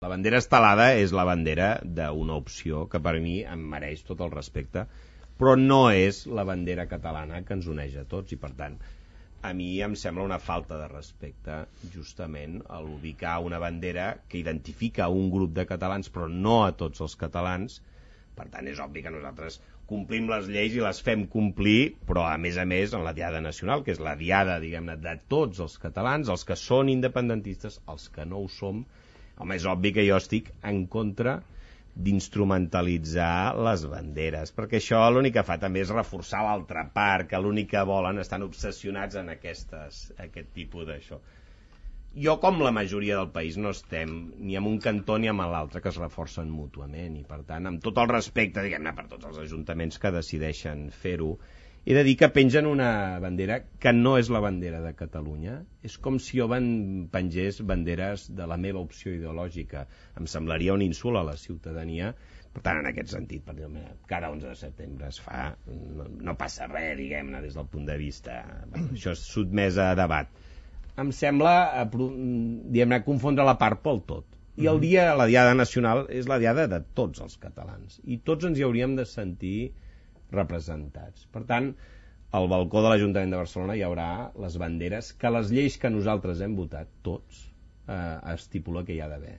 La bandera estelada és la bandera d'una opció que per mi em mereix tot el respecte, però no és la bandera catalana que ens uneix a tots i per tant a mi em sembla una falta de respecte justament a ubicar una bandera que identifica un grup de catalans però no a tots els catalans. Per tant és obvi que nosaltres complim les lleis i les fem complir, però a més en la Diada Nacional, que és la diada, diguem-ne, de tots els catalans, els que són independentistes, els que no ho som. Home, és obvi que jo estic en contra d'instrumentalitzar les banderes, perquè això l'únic que fa també és reforçar l'altra part, que l'únic que volen, estan obsessionats en aquest tipus d'això. Jo, com la majoria del país, no estem ni en un cantó ni en l'altre, que es reforcen mútuament, i per tant, amb tot el respecte, diguem-ne, per tots els ajuntaments que decideixen fer-ho, he de dir que pengen una bandera que no és la bandera de Catalunya. És com si jo pengés banderes de la meva opció ideològica. Em semblaria un insult a la ciutadania. Per tant, en aquest sentit, per dir, cada 11 de setembre es fa, no passa res, diguem-ne, des del punt de vista. Això és sotmès a debat. Em sembla, diguem-ne, confondre la part pel tot. I el dia, la Diada Nacional, és la diada de tots els catalans. I tots ens hi hauríem de sentir representats. Per tant, al balcó de l'Ajuntament de Barcelona hi haurà les banderes que les lleis que nosaltres hem votat, tots, estipula que hi ha d'haver.